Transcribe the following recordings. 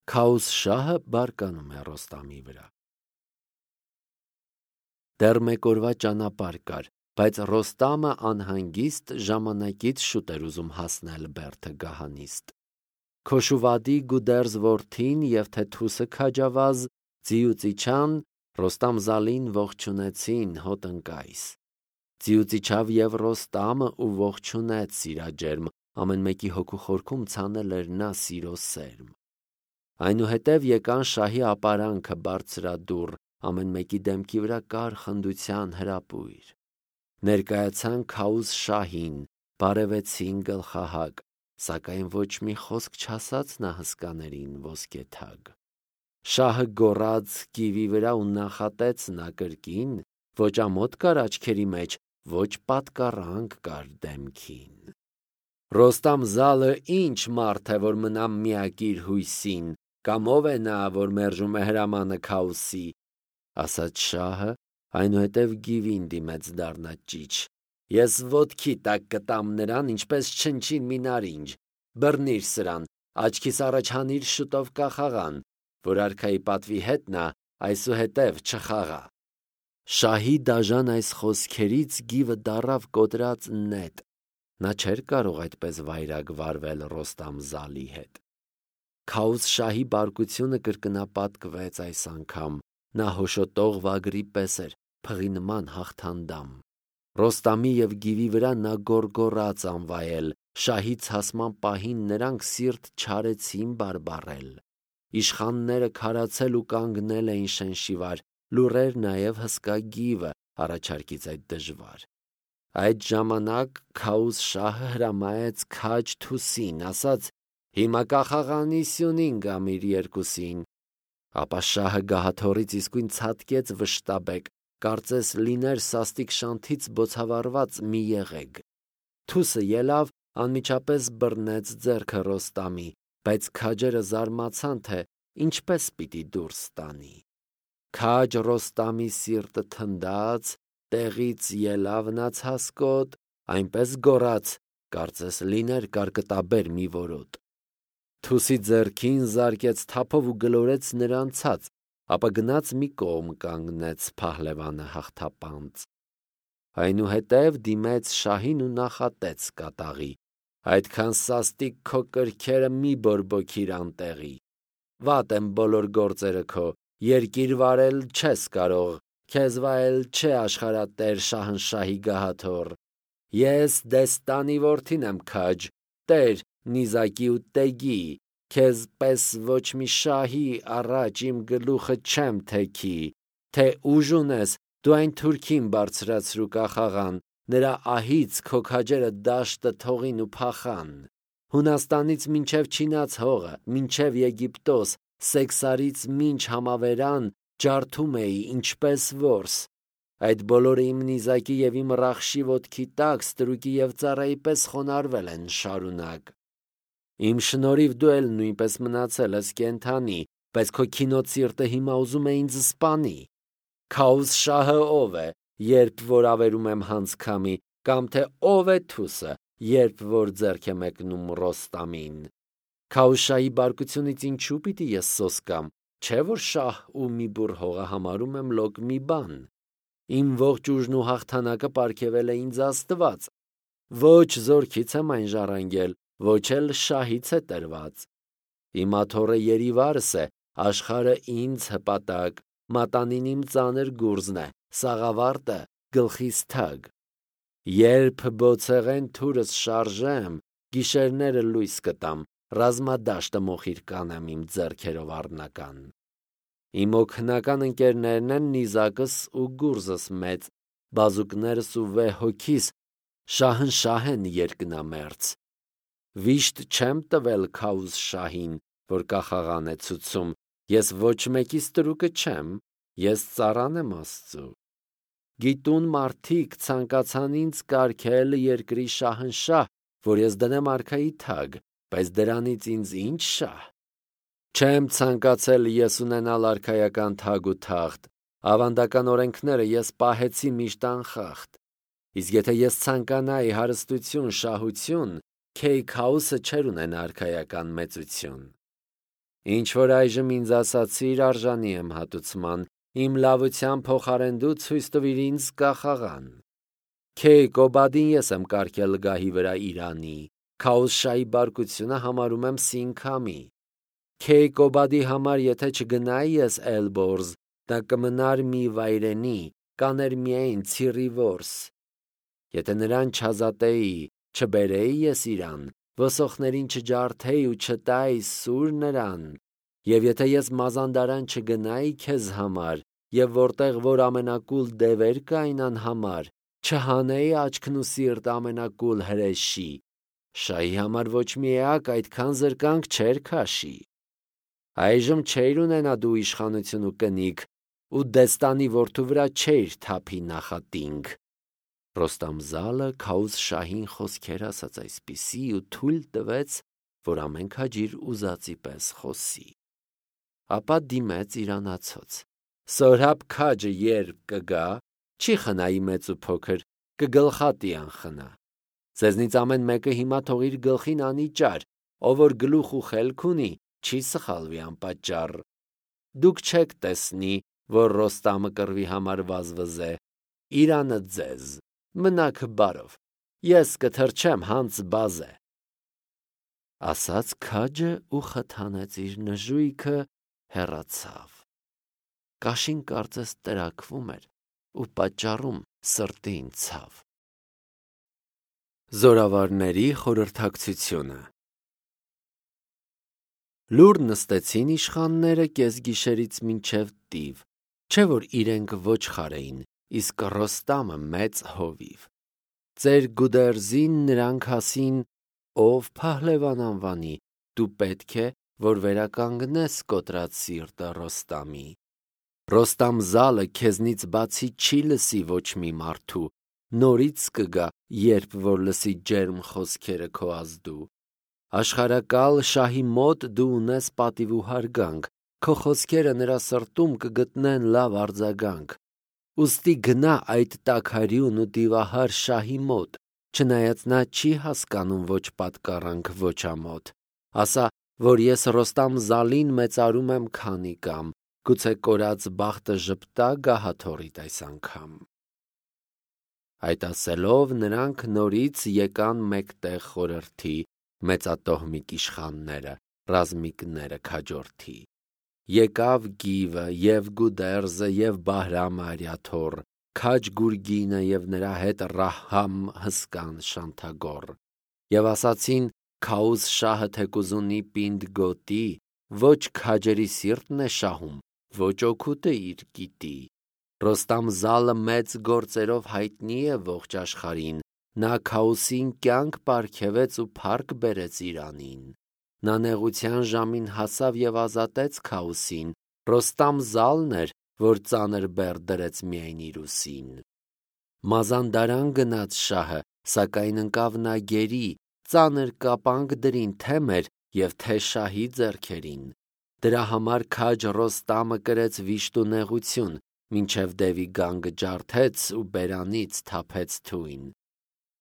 Քաուս շահը բարկանում է Ռոստամի վրա։ Դեռ մեկ օրվա ճանապարհ կար, բայց Ռոստամը անհանգիստ ժամանակից շուտ էր ուզում հասնել Բերդը Գահանիստ։ Քոշուվադի Գուդերզ որդին և թե Թուսը քաջավազ Ձիուծիչան Ռոստամ Զալին ողջունեցին հոտնկայս։ Ձիուծիչավ և Ռոստամը ու ողջունեց սիրաջերմ, ամեն մեկի հոգու խորքում ցանել էր նա սիրո սերմ։ Այնուհետև եկան շահի ապարանքը բարձրադուռ, ամեն մեկի դեմքի վրա կար խնդության հրապույր։ Ներկայացան Քաուս շահին, բարևեցին գլխահակ, սակայն ոչ մի խոսք չասաց նա հսկաներին ոսկեթագ։ Շահը գոռաց կիվի վրա ու նախատեց նա կրկին, ոչ ամոթ կար աչքերի մեջ, ոչ պատկառանք կար դեմքին։ Ռոստամ Զալը ինչ մարդ է, որ մնա միակ իր հույսին, կամ ով է նա, որ մերժում է հրամանը Քաուսի, ասաց շահը, այնուհետև գիվին դիմեց դառնա ճիչ։ Ես ոտքի տակ կտամ նրան, ինչպես չնչին մի նարինջ, բռնիր սրան, աչքիս առաջ հանիր շուտով կախաղան, որ արքայի պատվի հետ նա այսուհետև չխաղա։ Շահի դաժան այս խոսքերից գիվը դառավ կոտրած նետ, նա չէր կարող այդպես վայրագ վարվել Ռոստամ Զալի հետ։ Քաուս շահի բարկությունը կրկնապատկվեց այս անգամ, նա հոշոտող վագրի պես էր, փղի նման հաղթանդամ։ Ռոստամի և գիվի վրա նա գոռգոռաց անվայել, շահի ցասման պահին նրանք սիրտ չարեցին բարբառել։ Իշխանները քարացել ու կանգնել էին շենշիվար, լուռ էր նաև հսկա գիվը առաջարկից այդ դժվար։ Այդ ժամանակ Քաուս շահը հրամայեց քաջ Թուսին, ասաց. «Հիմա կախաղանի սյունին գամ իր երկուսին»։ Ապա շահը գահաթոռից իսկույն ցատկեց վշտաբեկ, կարծես լիներ սաստիկ շանթից բոցավառված մի եղեգ։ Թուսը ելավ, անմիջապես բռնեց ձեռքը Ռոստամի, բայց քաջերը զարմացան, թե ինչպես պիտի դուրս տանի։ Քաջ Ռոստամի սիրտը թնդաց, տեղից ելավ նա ցասկոտ, այնպես գոռաց, կարծես լիներ կարկտաբեր մի որոտ։ Թուսի ձեռքին զարկեց թափով ու գլորեց նրան ցած, ապա գնաց մի կողմ կանգնեց փահլևանը հաղթապանծ։ Այնուհետև դիմեց շահին ու նախատեց կատաղի. «Այդքան սաստիկ քո կրքերը մի բորբոքիր անտեղի։ Վատ եմ բոլոր գործերը քո, երկիր վարել չես կարող, քեզ վայել չէ աշխարհատեր Շահնշահի գահաթոռ։ Ես Դեստանի որդին եմ քաջ, տեր նիզակի ու տեգի, քեզ պես ոչ մի շահի առաջ իմ գլուխը չեմ թեքի, թե ուժ ունես, դու այն թուրքին բարձրացրու կախաղան, նրա ահից քո քաջերը դաշտը թողին ու փախան։ Հունաստանից մինչև Չինաց հողը, մինչև Եգիպտոս, Սեքսարից մինչ Համավերան ջարդում էի ինչպես որս։ Այդ բոլորը իմ նիզակի և իմ ռախշի ոտքի տակ ստրուկի և ծառայի պես խոնարհվել են շարունակ։ Իմ շնորհիվ դու էլ նույնպես մնացել ես կենդանի, բայց քո քինոտ սիրտը հիմա ուզում է ինձ սպանի։ Քաուս շահը ով է, երբ որ ավերում եմ հանցքամի, կամ թե ով է Թուսը, երբ որ ձեռք է մեկնում Ռոստամին։ Քաուշայի բարկությունից ինչու պիտի ես սոսկամ, չէ որ շահ ու մի բուռ հողը համարում եմ լոկ մի բան։ Իմ ողջ ուժն ու հաղթանակը պարգևել է ինձ Աստված։ Ոչ զորքից եմ այն ժառանգել, ոչ էլ շահից է տրված։ Իմ աթոռը երիվարս է, աշխարհը ինձ հպատակ, մատանին իմ ծանր գուրզն է, սաղավարտը գլխիս թագ։ Երբ բոցեղեն թուրս շարժեմ, գիշերները լույս կտամ, ռազմադաշտը մոխիր կանեմ իմ ձեռքերով առնական։ Իմ օգնական ընկերներն են նիզակս ու գուրզս մեծ, բազուկներս ու վեհ հոգիս Շահնշահ են երկնամերձ։ Վիշտ չեմ տվել Քաուս շահին, որ կախաղան է ցուցում, ես ոչ մեկի ստրուկը չեմ, ես ծառան եմ Աստծու։ Գիտուն մարդիկ ցանկացան ինձ կարգել երկրի շահնշահ, որ ես դնեմ արքայի թագ, բայց դրանից ինձ ինչ շահ։ Չեմ ցանկացել ես ունենալ արքայական թագ ու թախտ, ավանդական օրենքները ես պահեցի միշտ անխախտ։ Իսկ եթե ես ցանկանայի հարստություն, շահություն, Քեյ Քաուսը չէր ունենա արքայական մեծություն։ Ինչ որ այժմ ինձ ասացիր արժանի եմ հատուցման, իմ լավության փոխարեն դու ցույց տվիր ինձ կախաղան։ Քե Կոբադին ես եմ կարգել գահի վրա Իրանի, Քաոսշայի բարկությունը համարում եմ Սինքամի։ Քե Կոբադի համար եթե չգնայի ես Էլբորզ, դա կմնար մի վայրենի, կաներ միայն ցիրի որս։ Եթե նրան չազատեի, չբերեի ես իրան, ոսոխներին չջարդեի ու չտայի սուր նրան, եւ եթե ես մազանդարան չգնայի քեզ համար, եւ որտեղ որ ամենակուլ դևեր կային անհամար, չհանեի աչքն ու սիրտ ամենակուլ հրեշի, շահի համար ոչ մի էակ այդքան զրկանք չէր քաշի։ Այժմ չէր ունենա դու իշխանություն ու կնիկ, ու դեստանի որդու վրա չէր թափի նախատինք։ Ռոստամ-Զալը Քաուս-շահին խոսքեր ասաց այսպիսի ու թույլ տվեց, որ ամեն քաջիր ուզածի պես խոսի։ Ապա դիմեց իրանացոց. Սորհապ քաջը երբ կգա, չի խնայի մեծ ու փոքր, կգլխատի անխնա։ Ձեզնից ամեն մեկը հիմա թող իր գլխին անի ճար, ով որ գլուխ ու խելք ունի, չի սխալվի անպատճառ։ Դուք չեք տեսնի, որ Ռոստամը կռվի համար վազվզե, Իրանը ձեզ, մնաք բարով, ես կթրջեմ հանց բազե։ Ասաց քաջը ու խթանեց իր նժույգը, հեռացավ։ Կաշին կարծես տրաքվում էր ու պատճառում սրտին ցավ։ Զորավարների խորհրդակցությունը։ Լուր նստեցին իշխանները կեսգիշերից մինչև տիվ, չէ որ իրենք ոչխար էին, իսկ Ռոստամը մեծ հովիվ։ Ծեր Գուդերզին նրանք ասին, ով Փահլևան անվանի, դու պետք է, որ վերականգնես կոտրած սիրտը Ռոստամի։ Ռոստամ-Զալը քեզնից բացի չի լսի ոչ մի մարդու, նորից կգա, երբ որ լսի ջերմ խոսքերը քո ազդու։ Աշխարհակալ շահի մոտ դու ունես պատիվ ու հարգանք, քո խոսքերը նրա սրտում կգտնեն լավ արձագանք։ Ուստի գնա այդ տաքարյուն ու դիվահար շահի մոտ, չնայած նա չի հասկանում ոչ պատկառանք, ոչ ամոթ։ Ասա, որ ես Ռոստամ-Զալին մեծարում եմ քանի կամ, գուցե կորած բախտը ժպտա գահաթորիդ այս անգամ։ Այդ ասելով նրանք նորից եկան մեկտեղ խորհրդի, մեծատոհմիկ իշխանները, ռազմիկները քաջորդի։ Եկավ Գիվը և Գուդերզը և Բահրամը արյաթոռ, քաջ Գուրգինը և նրա հետ Ռահամ հսկան շանթագոռ։ Եվ ասացին Քաուս շահը թեկուզ ունի պինդ գոտի, ոչ քաջերի սիրտն է շահում, ոչ օգուտը իր գիտի։ Ռոստամ-Զալը մեծ գործերով հայտնի է ողջ աշխարհին, նա Քաուսին կյանք պարգևեց ու փառք բերեց Իրանին։ Նա նեղության ժամին հասավ և ազատեց Քաուսին, Ռոստամ-Զալն էր, որ ծանր բեռ դրեց միայն իր ուսին։ Մազանդարան գնաց շահը, սակայն ընկավ նա գերի, ծանր կապանք դրին թե մեր և թե շահի ձեռքերին։ Դրա համար քաջ Ռոստամը կրեց վիշտ ու նեղություն, մինչև դևի գանգը ջարդեց ու բերանից թափեց թույն։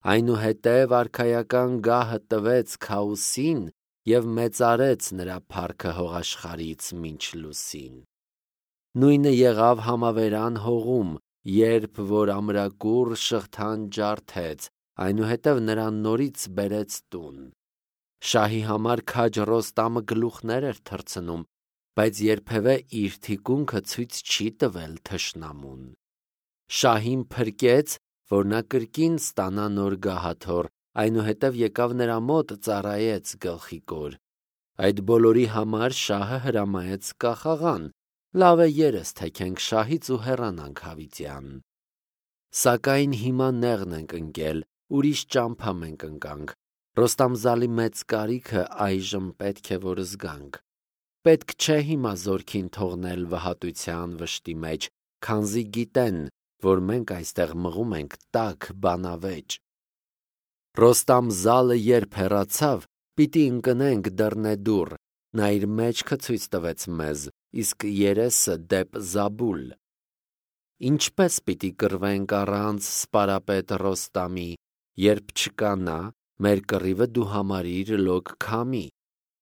Այնուհետև արքայական գահը տվեց Քաուսին և մեծարեց նրա փառքը հողաշխարհից մինչ լուսին։ Նույնը եղավ Համավերան հողում, երբ որ ամրակուռ շղթան ջարդեց, այնուհետև նրան նորից բերեց տուն։ Շահի համար քաջ Ռոստամը գլուխներ էր թռցնում, բայց երբևէ իր թիկունքը ցույց չի տվել թշնամուն։ Շահին փրկեց, որ նա կրկին ստանա նոր գահաթոռ, այնուհետև եկավ նրա մոտ ծառայեց գլխիկոր։ Այդ բոլորի համար շահը հրամայեց կախաղան, լավ է երես թեքենք շահից ու հեռանանք հավիտյան։ Սակայն հիմա նեղն ենք ընկել, ուրիշ ճամփա մենք ընկանք։ Ռոստամ-Զալի մեծ կարիքը այժմ պետք է որ զգանք։ Պետք չէ հիմա զորքին թողնել վհատության վշտի մեջ, քանզի գիտեն, որ մենք այստեղ մղում ենք տաք բանավեճ։ Ռոստամ-Զալը երբ հեռացավ, պիտի ընկնենք դռնեդուռ, նա իր մեջքը ցույց տվեց մեզ, իսկ երեսը դեպ Զաբուլ։ Ինչպես պիտի կռվենք առանց սպարապետ Ռոստամի, երբ չկա նա, մեր կռիվը դու համարիր լոկ քամի։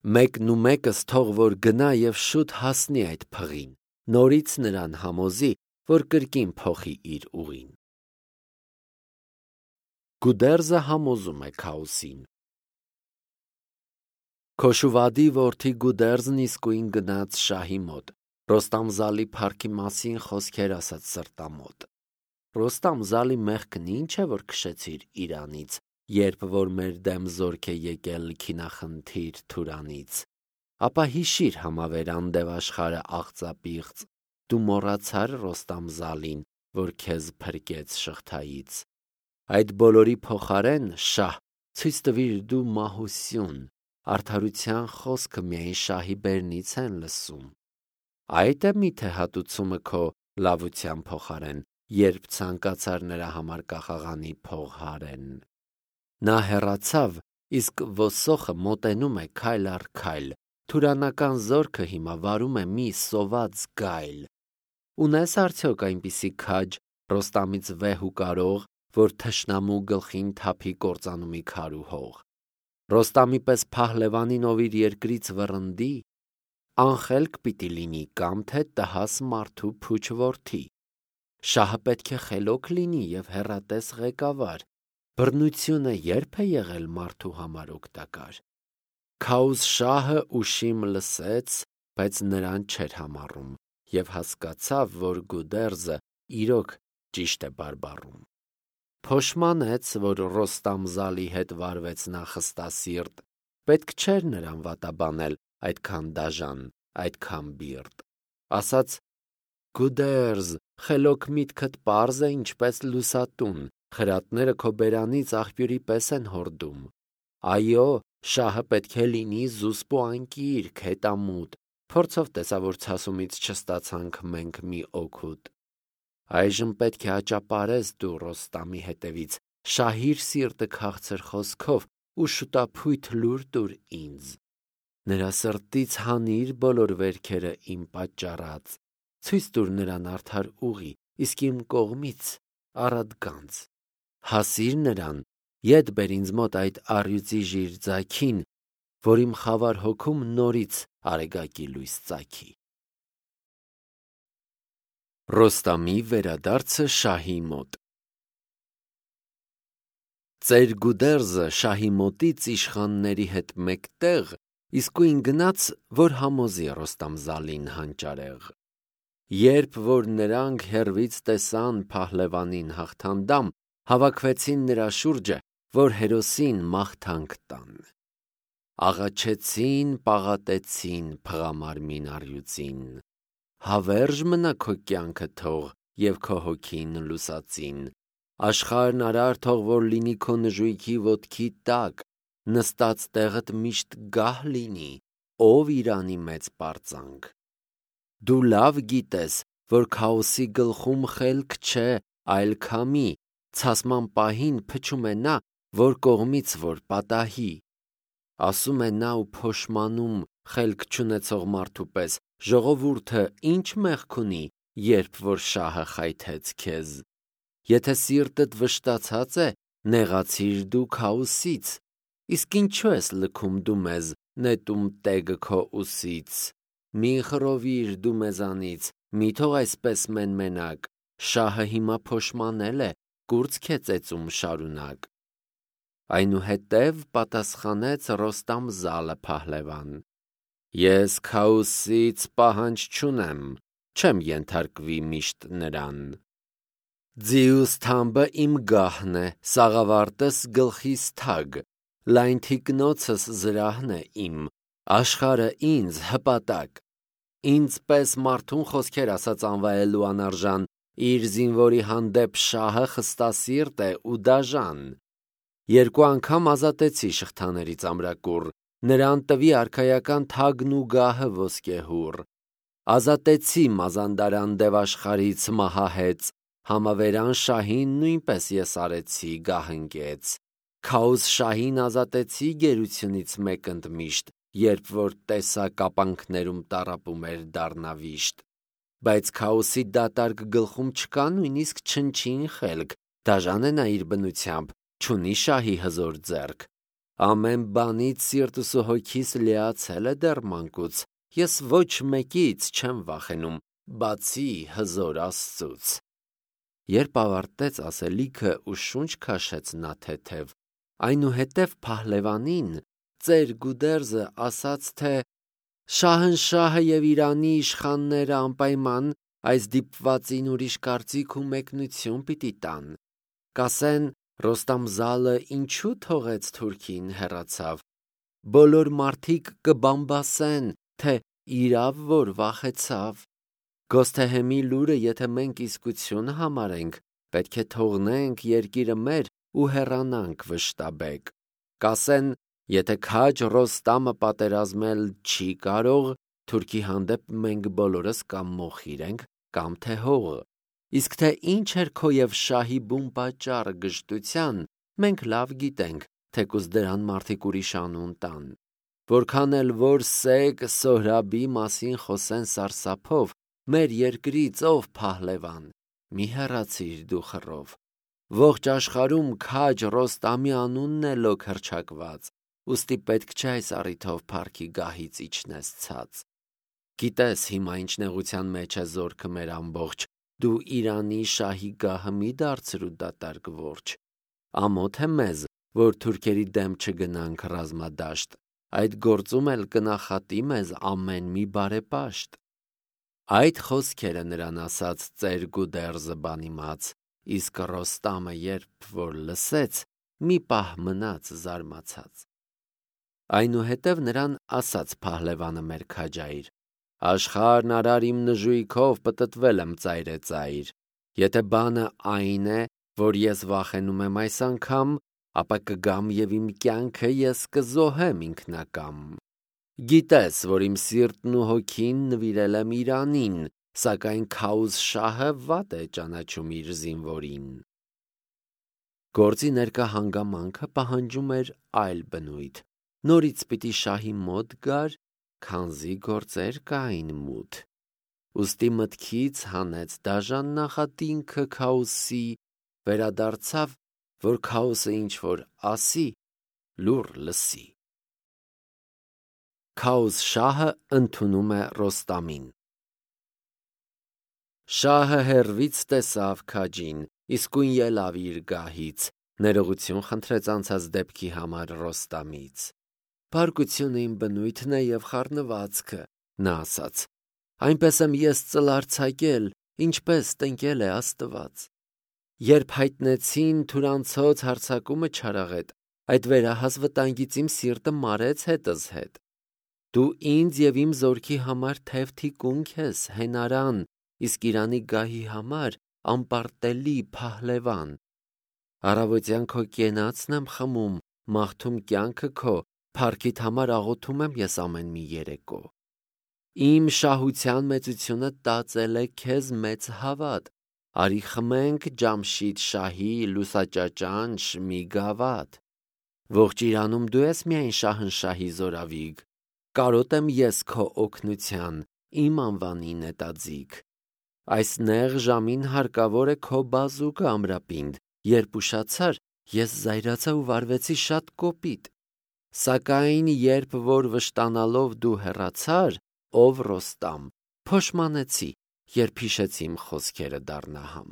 Մեկն ու մեկս թող որ գնա եւ շուտ հասնի այդ փղին, նորից նրան համոզի, որ կրկին փոխի իր ուղին։ Գուդերզը համոզում է Քաոսին։ Քոշուվադի որդի Գուդերզն իսկույն գնաց շահի մոտ, Ռոստամ Զալի փառքի մասին խոսքեր ասաց սրտամոտ։ Ռոստամ Զալի մեղքն ինչ է, որ քշեցիր իրանից, երբ որ մեր դեմ զորք է եկել քինախնդիր Թուրանից։ Ապա հիշիր համավերան դևաշխարը աղծապիղծ, դու մոռացար Ռոստամ Զալին, որ քեզ փրկեց շղթայից։ Այդ բոլորի փոխարեն, շահ, ցույց տվիր դու մահություն, արդարության խոսքը միայն շահի բերնից են լսում։ Այդ է միթե հատուցումը քո լավության փոխարեն, երբ ցանկացար նրա համար կախաղանի փող հարեն։ Նա հեռացավ, իսկ ոսոխը մոտենում է քայլ առ քայլ, թուրանական զորքը հիմա վարում է մի սոված գայլ։ Ունես արդյոք այնպիսի քաջ, Ռոստամից վեհ ու կարող, որ թշնամու գլխին թափի կործանումի քար ու հող։ Ռոստամի պես փահլևանին ով իր երկրից վռնդի, անխելք պիտի լինի կամ թե տհաս մարդու փուչ որդի։ Շահը պետք է խելոք լինի եւ հեռատես ղեկավար, բռնությունը երբ է եղել մարդու համար օգտակար։ Քաուս շահը ուշիմ լսեց, բայց նրան չէր համառում եւ հասկացավ, որ Գուդերզը իրոք ճիշտ է բարբառում։ Փոշմանեց, որ Ռոստամ Զալի հետ վարվեց նա խստասիրտ, պետք չէր նրան վատաբանել այդքան դաժան, այդքան բիրտ։ Ասաց. Գուդերզ, խելոք միտքդ պարզ է ինչպես լուսատուն, խրատները քո բերանից աղբյուրի պես են հորդում։ Այո, շահը պետք է լինի զուսպ ու անկիրք, հետամուտ, փորձով տեսա, որ ցասումից չստացանք մենք մի օգուտ։ Այժմ պետք է աճապարես դու Ռոստամի հետևից, շահիր սիրտը քաղցր խոսքով ու շուտափույթ լուր տուր ինձ։ Նրա սրտից հանիր բոլոր վերքերը իմ պատճառած, ցույց տուր նրան արդար ուղի, իսկ իմ կողմից առատ գանձ։ Հասիր նրան, ետ բեր ինձ մոտ այդ առյուծի ժիր ձագին, որ իմ խավար հոգում նորից արեգակի լույս ծագի։ Ռոստամի վերադարձը շահի մոտ։ Ծեր Գուդերզը շահի մոտից իշխանների հետ մեկտեղ իսկույն գնաց, որ համոզի Ռոստամ Զալին հանճարեղ։ Երբ որ նրանք հեռվից տեսան փահլևանին հաղթանդամ, հավաքվեցին նրա շուրջը, որ հերոսին մաղթանք տան։ Աղաչեցին, պաղատեցին փղամարմին առյուծին։ Հավերժ մնա քո կյանքը թող եւ քո հոգին լուսածին։ Աշխարհն արար թող որ լինի քո նժույգի ոտքի տակ, նստած տեղդ միշտ գահ լինի, ով Իրանի մեծ պարծանք։ Դու լավ գիտես, որ Քաոսի գլխում խելք չէ, այլ քամի, ցասման պահին փչում է նա, որ կողմից որ պատահի։ Ասում է նա ու փոշմանում խելք չունեցող մարդու պես, ժողովուրդը ինչ մեղք ունի, երբ որ շահը խայթեց քեզ։ Եթե սիրտդ վշտացած է, նեղացիր դու Քաոսից, իսկ ինչու ես լքում դու մեզ, նետում տեգը քո ուսից։ Մի խռովիր դու մեզանից, մի թող այսպես մենմենակ, շահը հիմա փոշմանել է, կուրծք է ծեծում շարունակ։ Այնուհետև պատասխանեց Ռոստամ Զալը փահլևան. Ես Քաոսից պահանջ չունեմ, չեմ ենթարկվի միշտ նրան։ Ձիուս թամբը իմ գահն է, սաղավարտս գլխիս թագ, լայն թիկնոցս զրահն է իմ, աշխարը ինձ հպատակ։ Ինձ պես մարդուն խոսքեր ասած անվայելու անարժան, իր զինվորի հանդեպ շահը խստասիրտ է ու դաժան։ Երկու անգամ ազատեցի շղթաներից ամրակուռ, նրան տվի արքայական թագն ու գահը ոսկեհուռ։ Ազատեցի մազանդարան դևաշխարից մահահեց, համավերան շահին նույնպես ես արեցի գահընկեց։ Քաոս շահին ազատեցի գերությունից մեկ ընդմիշտ, երբ որ տեսա կապանքներում տառապում էր դառնավիշտ։ Բայց Քաոսի դատարկ գլխում չկա նույնիսկ չնչին խելք, դաժան է նա իր բնությամբ, չունի շահի հզոր ձեռք։ Ամեն բանից սիրտս ու հոգիս լիացել է դեռ մանկուց, ես ոչ մեկից չեմ վախենում, բացի հզոր Աստծուց։ Երբ ավարտեց ասելիքը ու շունչ քաշեց նա թեթև, այնուհետև փահլևանին ծեր գուդերզը ասաց, թե Շահնշահը և Իրանի իշխանները անպայման այս դիպվածին ուրիշ կարծիք ու մեկնություն պիտի տան, կասեն Ռոստամ Զալը ինչու թողեց թուրքին հեռացավ, բոլոր մարդիկ կբամբասեն, թե իրավ որ վախեցավ, Գոսթեհեմի լուրը եթե մենք իսկություն համարենք, պետք է թողնենք երկիրը մեր ու հեռանանք վշտաբեկ, կասեն եթե քաջ Ռոստամը պատերազմել չի կարող, թուրքի հանդեպ մենք բոլորս կամ մոխիր ենք, կամ թե հող, իսկ թե ինչ էր քո և շահի բուն պատճառը գժտության, մենք լավ գիտենք, թեկուզ դրան մարդիկ ուրիշ անուն տան, որքան էլ որ Սեգ Սոհրաբի մասին խոսեն սարսափով, մեր երկրից ով փահլևան, մի հեռացիր դու խռով, ողջ աշխարհում քաջ Ռոստամի անունն է լոկ հռչակված, ուստի պետք չէ այս առիթով փառքի գահից իջնես ցած։ Գիտես հիմա ինչ նեղության մեջ է զորքը մեր ամբողջ, դու Իրանի շահի գահը մի դարձրու դատարկ որջ։ Ամոթ է մեզ, որ թուրքերի դեմ չգնանք ռազմադաշտ, այդ գործում էլ կնախատի մեզ ամեն մի բարեպաշտ։ Այդ խոսքերը նրան ասաց ծեր Գուդերզը բանիմաց, իսկ Ռոստամը երբ որ լսեց, մի պահ մնաց զարմացած։ Այնուհետև նրան ասաց փահլևանը մեր քաջայր. Աշխարհն արար իմ նժույգով պտտվել եմ ծայրեծայր, եթե բանը այն է, որ ես վախենում եմ այս անգամ, ապա կգամ և իմ կյանքը ես կզոհեմ ինքնակամ։ Գիտես, որ իմ սիրտն ու հոգին նվիրել եմ Իրանին, սակայն Քաուզ շահը վատ է ճանաչում իր զինվորին։ Գործի ներկա հանգամանքը պահանջում էր այլ բնույթ, նորից պիտի շահի մոտ գար, քանզի գործեր կային մութ, ուստի մտքից հանեց դաժան նախատինքը Քաուսի, վերադարձավ, որ Քաուսը ինչ որ ասի, լուռ լսի։ Քաուզ շահը ընդունում է Ռոստամին։ Շահը հեռվից տեսավ քաջին, իսկույն ելավ իր գահից, ներողություն խնդրեց անցած դեպքի համար Ռոստամից։ Փառքությունը իմ բնույթն է և խառնվածքը, նա ասաց, այնպես եմ ես ծլարձակել, ինչպես տնկել է Աստված։ Երբ հայտնեցին թուրանցոց հարձակումը չարաղետ, այդ վերահաս վտանգից իմ սիրտը մարեց հետս հետ։ Դու ինձ և իմ զորքի համար թև թիկունք ես, հենարան, իսկ Իրանի գահի համար անպարտելի փահլևան։ Առավոտյան քո կենացն եմ խմում, մաղթում կյանքը քո, փառքիդ համար աղոթում եմ ես ամեն մի երեկո։ Իմ շահության մեծությունը տածել է քեզ մեծ հավատ, արի խմենք Ջամշիդ շահի լուսաճաճանչ մի գավաթ։ Ողջ Իրանում դու ես միայն Շահնշահի զորավիգ, կարոտ եմ ես քո օգնության, իմ անվանի նետաձիգ։ Այս նեղ ժամին հարկավոր է քո բազուկը ամրապինդ, երբ ուշացար, ես զայրացա ու վարվեցի շատ կոպիտ։ Սակայն երբ որ վշտանալով դու հեռացար, ով Ռոստամ, փոշմանեցի, երբ հիշեցի իմ խոսքերը դառնահամ։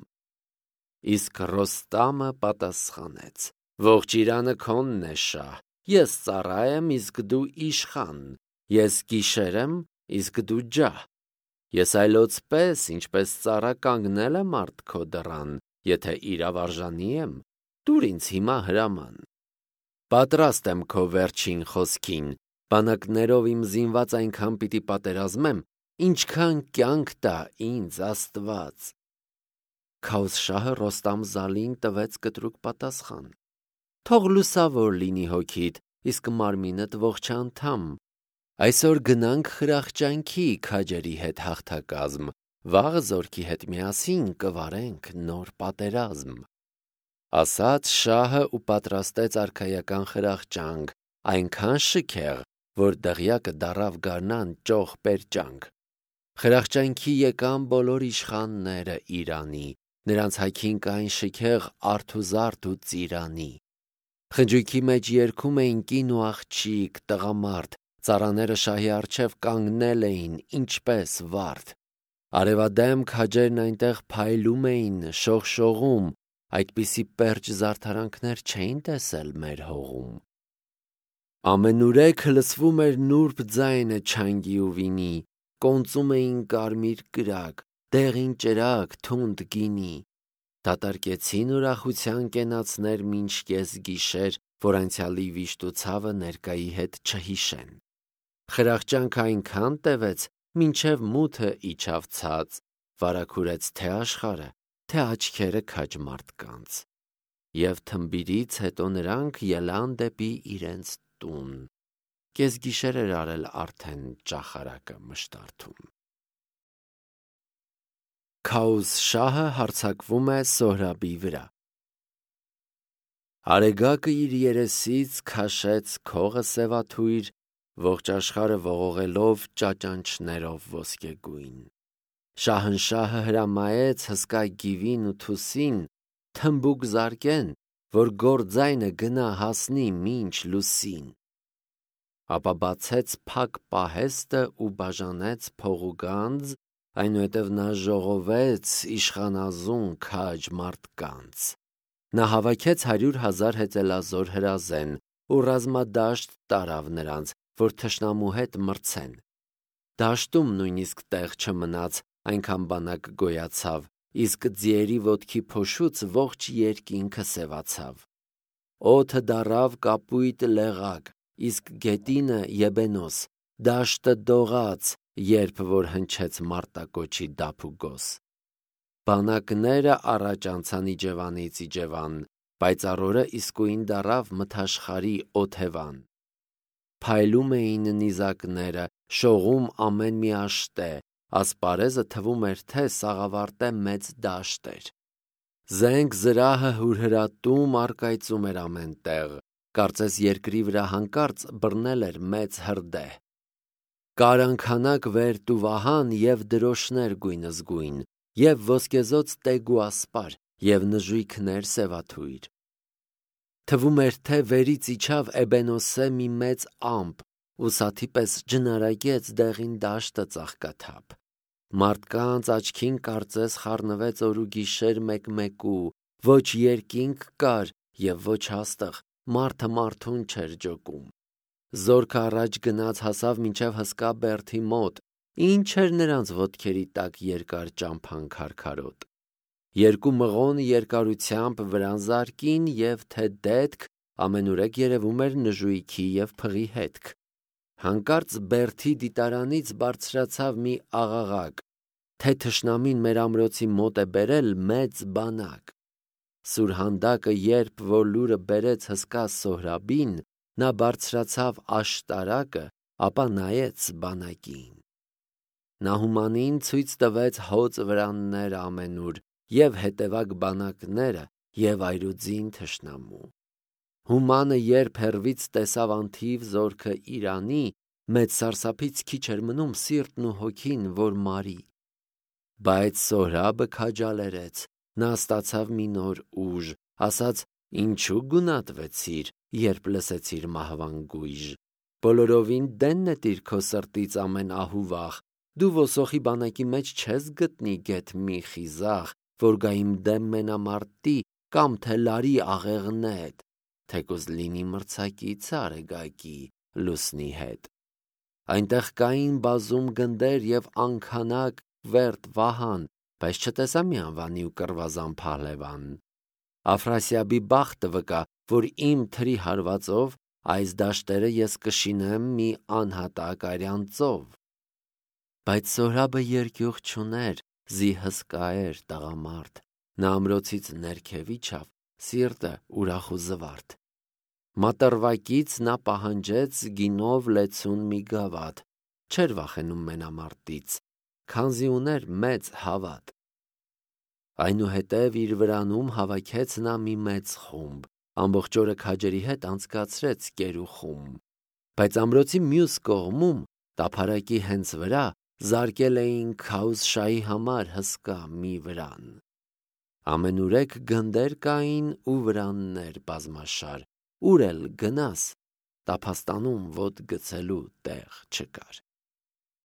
Իսկ Ռոստամը պատասխանեց. Ողջ Իրանը քոնն է շահ, ես ծառա եմ, իսկ դու իշխան, ես գիշեր եմ, իսկ դու ջահ։ Ես այլոց պես, ինչպես ծառա կանգնել եմ արդ քո դռան, եթե իրավարժանի եմ, տուր ինձ հիմա հրաման։ Պատրաստ եմ քո վերջին խոսքին, բանակներով իմ զինված այնքան պիտի պատերազմեմ, ինչքան կյանք տա ինձ Աստված։ Քաուզ շահը Ռոստամ Զալին տվեց կտրուկ պատասխան. Թող լուսավոր լինի հոգիդ, իսկ մարմինդ ողջանդամ։ Այսօր գնանք խրախճանքի քաջերի հետ հաղթակազմ, վաղը զորքի հետ միասին կվարենք նոր պատերազմ։ Ասաց շահը ու պատրաստեց արքայական խրախճանք, այնքան շքեղ, որ դղյակը դառավ գարնան ճոխ պերճանք։ Խրախճանքի եկան բոլոր իշխանները Իրանի, նրանց հագին կային շքեղ արթուզարդ ու ծիրանի։ Խնջույքի մեջ երգում էին կին ու աղջիկ, տղամարդ, ծառաները շահի առջև կանգնել էին, ինչպես վարդ։ Արևադեմ քաջերն այնտեղ փայլում էին, շողշողում, այդպիսի պերճ զարդարանքներ չէին տեսել մեր հողում։ Ամենուրեք լսվում էր նուրբ ձայնը չանգի ու վինի, կոնծում էին կարմիր կրակ, դեղին ճրագ, թունդ գինի։ Դատարկեցին ուրախության կենացներ մինչ կեսգիշեր, որ անցյալի վիշտ ու ցավը ներկայի հետ չհիշեն։ Խրախճանքը այնքան տևեց, մինչև մութը իջավ ցած, վարագուրեց թե աշխարհը, թե աչքերը քաջ մարդկանց։ Եվ թմբիրից հետո նրանք ելան դեպի իրենց տուն։ Կեսգիշեր էր արել արդեն ճախարակը մշտարթում։ Քաուս շահը հարձակվում է Սոհրաբի վրա։ Արեգակը իր երեսից քաշեց քողը սևաթույր, ողջ աշխարհը ողողելով ճաճանչներով ոսկեգույն։ Շահնշահը հրամայեց հսկա գիվին ու թուսին թմբուկ զարկեն, որ գործայնը գնա հասնի մինչ լուսին։ Ապա բացեց փակ պահեստը ու բաժանեց փող ու գանձ, այնուհետև նա ժողովեց իշխանազուն քաջ մարդկանց։ Նա հավաքեց 100,000 հեծելազոր հրազեն ու ռազմադաշտ տարավ նրանց, որ թշնամու հետ մրցեն։ Դաշտում նույնիսկ տեղ չմնաց, այնքան բանակ գոյացավ, իսկ ձիերի ոտքի փոշուց ողջ երկինքը սևացավ։ Օդը դառավ կապույտ լեղակ, իսկ գետինը Եբենոս, դաշտը դողաց, երբ որ հնչեց մարտակոչի դափուգոս։ Բանակները առաջ անցան Իջևանից Իջևան, պայծառորը իսկույն դառավ մթաշխարի օթևան։ Փայլում էին նիզակները, շողում ամեն մի աշտե, ասպարեզը թվում էր, թե սաղավարտե մեծ դաշտ էր։ Զենք զրահը հուրհրատում առկայծում էր ամեն տեղ, կարծես երկրի վրա հանկարծ բռնել էր մեծ հրդեհ։ Կարանքանակ վերտ ու վահան և դրոշներ գույնզգույն, և ոսկեզոծ տեգ ու ասպար, և նժույգներ սևաթույր։ Թվում էր, թե վերից իջավ Էբենոսե մի մեծ ամպ, ու սաթի պես ջնարագեց դեղին դաշտը ծաղկաթափ։ Մարդկանց աչքին կարծես խառնվեց օր ու գիշեր մեկ-մեկու, ոչ երկինք կար և ոչ հաստղ, մարդը մարդուն չէր ջոկում։ Զորքը առաջ գնաց հասավ մինչև հսկա բերդի մոտ, ինչ էր նրանց ոտքերի տակ երկար ճամփան քարքարոտ։ Երկու մղոն երկարությամբ վրան զարկին և թե դետք ամենուրեք երևում էր նժույգի և փղի հետք։ Հանկարծ բերդի դիտարանից բարձրացավ մի աղաղակ, թե թշնամին մեր ամրոցի մոտ է բերել մեծ բանակ։ Սուրհանդակը երբ որ լուրը բերեց հսկա Սոհրաբին, նա բարձրացավ աշտարակը, ապա նայեց բանակին։ Նահումանին ցույց տվեց հոծ վրանները ամենուր և հետևակ բանակները և այրուձին թշնամու։ Հումանը երբ հեռվից տեսավ անթիվ զորքը Իրանի, մեծ սարսափից քիչ էր մնում սիրտն ու հոգին, որ մարի։ Բայց Սոհրաբը քաջալերեց, նա ստացավ մի նոր ուժ, ասաց. «Ինչու գունատվեցիր, երբ լսեցիր մահվան գույժ։ Բոլորովին դեն նետիր քո սրտից ամեն ահ ու վախ, դու ոսոխի բանակի մեջ չես գտնի գեթ մի խիզախ, որ գա իմ դեմ մենամարտի կամ թե լարի աղեղնետ, թեկուզ լինի մրցակիցը Արեգակի լուսնի հետ»։ Այնտեղ կային բազում գնդեր և անքանակ վերտ վահան, բայց չտեսա մի անվանի ու կռվազան փահլևան։ Աֆրասիաբի բախտը վկա, որ իմ թրի հարվածով այս դաշտերը ես կշինեմ մի անհատակ արյան ծով։ Բայց Սոհրաբը երկյուղ չուներ, զի հսկա էր տղամարդ, նա ամրոցից ներքև իջավ, սիրտը ուրախ ու զվարթ։ Մատռվակից նա պահանջեց գինով լեցուն մի գավաթ, չէր վախենում մենամարտից, քանզի ուներ մեծ հավատ։ Այնուհետև իր վրանում հավաքեց նա մի մեծ խումբ, ամբողջ օրը քաջերի հետ անցկացրեց կերուխում։ Բայց ամրոցի մյուս կողմում, տափարակի հենց վրա, զարկել էին Քաուսշայի համար հսկա մի վրան։ Ամենուրեք գնդեր կային ու վրաններ բազմաշար, ուր էլ գնաս, տափաստանում ոտ գցելու տեղ չկար։